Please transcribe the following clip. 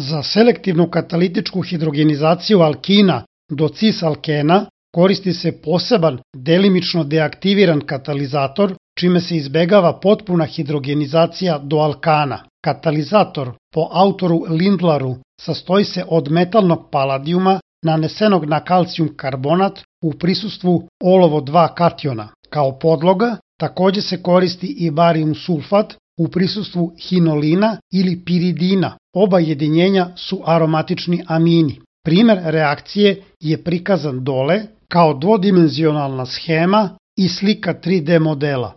Za selektivnu katalitičku hidrogenizaciju alkina do cis-alkena koristi se poseban delimično deaktiviran katalizator, čime se izbegava potpuna hidrogenizacija do alkana. Katalizator, po autoru Lindlaru, sastoji se od metalnog paladijuma nanesenog na kalcijum karbonat u prisustvu olovo-2 kationa. Kao podloga takođe se koristi i barijum sulfat u prisustvu hinolina ili piridina. Oba jedinjenja su aromatični amini. Primer reakcije je prikazan dole kao dvodimenzionalna schema i slika 3D modela.